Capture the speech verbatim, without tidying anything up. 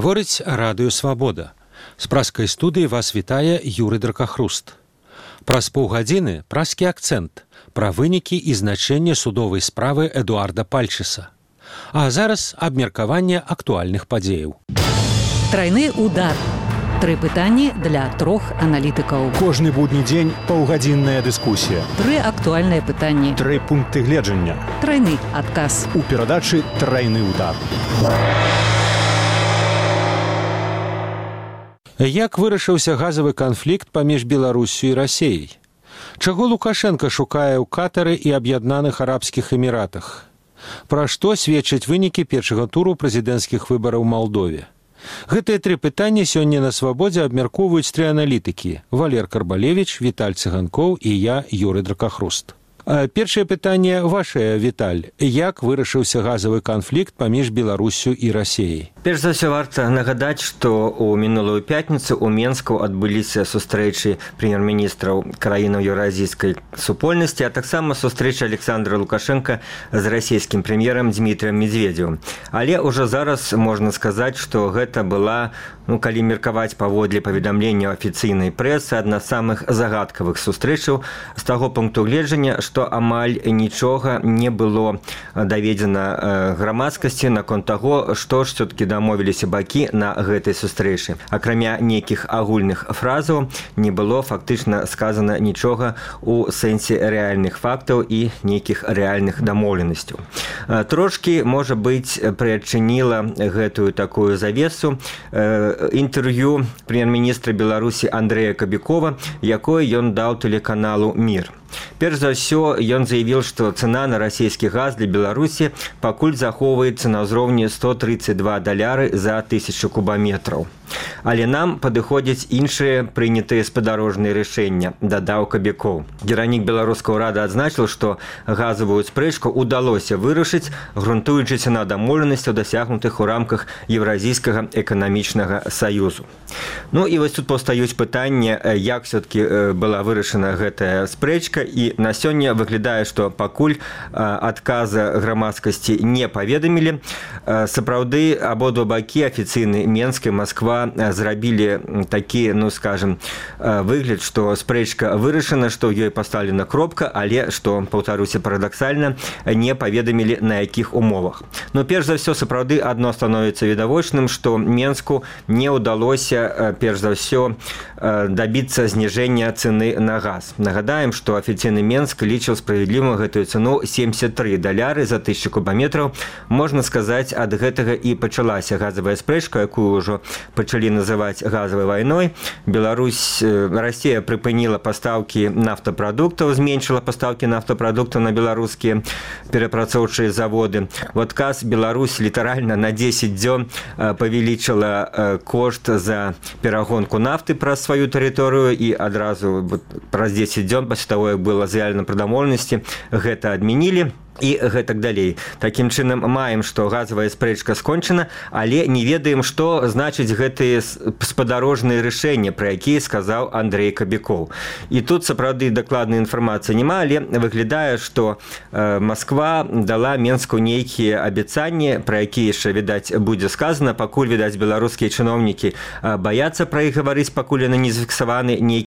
Гаворыць радыё «Свабода». З праскай студыі вас вітае Юрый Дракахруст. Праз паўгадзіны праскі акцэнт пра вынікі і значэнне судовай справы Эдуарда Пальчыса. А зараз абмеркаванне актуальных падзеяў. Трайны удар. Тры пытанні для трох аналітыкаў. Кожны будні дзень паўгадзінная дыскусія. Тры актуальныя пытанні. Тры пункты гледжання. Трайны адказ. У перадачы «Трайны удар». Як вырашыўся газавы канфлікт паміж Беларуссю і Расіяй? Чаго Лукашенка шукае ў Катары і Аб'яднаных Арабскіх Эміратах? Пра што сведчаць вынікі першага туру прэзідэнцкіх выбараў у Малдове? Гэтыя тры пытанні сёння на «Свабодзе» абмяркоўваюць тры аналітыкі – Валер Карбалевіч, Віталь Цыганкоў і я, Юрый Дракахруст. Першае пытанне вашае, Віталь. Як вырашыўся газавы канфлікт паміж Беларуссю і Расіяй? Перш за ўсё варта нагадаць, што ў мінулую пятніцу ў Менску адбыліся сустрэчы прэм'ер-міністраў краінаў еўразійскай супольнасці, а таксама сустрэча Александра Лукашенка з расійскім прэм'ерам Дмітрыем Медведзевым. Але ўжо зараз можна сказаць, што гэта была, ну, калі меркаваць паводле паведамленняў афіцыйнай прэсы, адна з самых загадкавых сустрэчаў з таго пункту гледжання, што амаль нічога не было даведзена грамадскасці наконт таго, што ж все-таки дамовіліся бакі на гэтай сустрэчы. Акрамя нейкіх агульных фразаў не было фактычна сказана нічога ў сэнсе рэальных фактаў і нейкіх рэальных дамоўленасцяў. Трошкі, можа быць, прыадчыніла гэтую такую завесу інтэрв'ю прэм'ер-міністра Беларусі Андрэя Кабікова, якое ён даў тэлеканалу «Мір». Перш за ўсё, ён заявіў, што цана на расійскі газ для Беларусі пакуль захоўваецца на ўзроўні сто тридцать два даляры за тысячу кубаметраў. Але нам падыходзяць іншыя прынятыя спадарожныя рашэння, дадаў Кабікоў. Кіраўнік беларускага ўрада адзначыў, што газавую спрэчку ўдалося вырашыць, грунтуючыся на дамоўленасцях, дасягнутых у рамках Еўразійскага эканамічнага саюзу. Ну і вось тут паўстаюць пытанні, як все-таки была вырашана гэтая спрэчка, і на сёння выглядае, што пакуль адказа грамадскасці не паведамілі. Сапраўды, абодва бакі, афіцыйны Менск і Масква, зрабілі такі, ну скажем, выгляд, што спрэчка вырашана, што ў ёй пастаўлена кропка, але, што, паўтаруся парадаксальна, не паведамілі на якіх умовах. Но перш за ўсё, сапраўды, адно становіцца відавочным, што Менску не ўдалося, перш за ўсё, дабіцца зніжэння цэны на газ. Нагадаем, што афіцыйны Менск лічыў справядлівым гэтую цэну семьдесят три даляры за тысячу кубаметраў. Можна сказаць, ад гэтага і пачалася газавая спрэчка, якую ўжо пачалі называць газавай вайной. Беларусь, Расія прыпыніла пастаўкі нафтапрадуктаў, зменшыла пастаўкі нафтапрадуктаў на беларускія перапрацоўчыя заводы. В адказ Беларусь літаральна на десять дзён павялічыла кошт за перагонку нафты праз сваю тэрыторыю і адразу праз десять дзён пасля таго, як была заявлена пра дамоўленасці, гэта адмянілі. І гэтак далей. Такім чынам маем, што газавая спрэчка скончана, але не ведаем, што значыць гэтыя спадарожныя рашэнні, пра якія сказаў Андрэй Кабікоў. І тут, сапраўды, дакладнай інфармацыі няма, але выглядае, што Масква дала Менску нейкія абяцанні, пра якія яшчэ, відаць, будзе сказана. Пакуль, відаць, беларускія чыноўнікі баяцца пра іх гаварыць, пакуль яны не зафіксаваны нейкія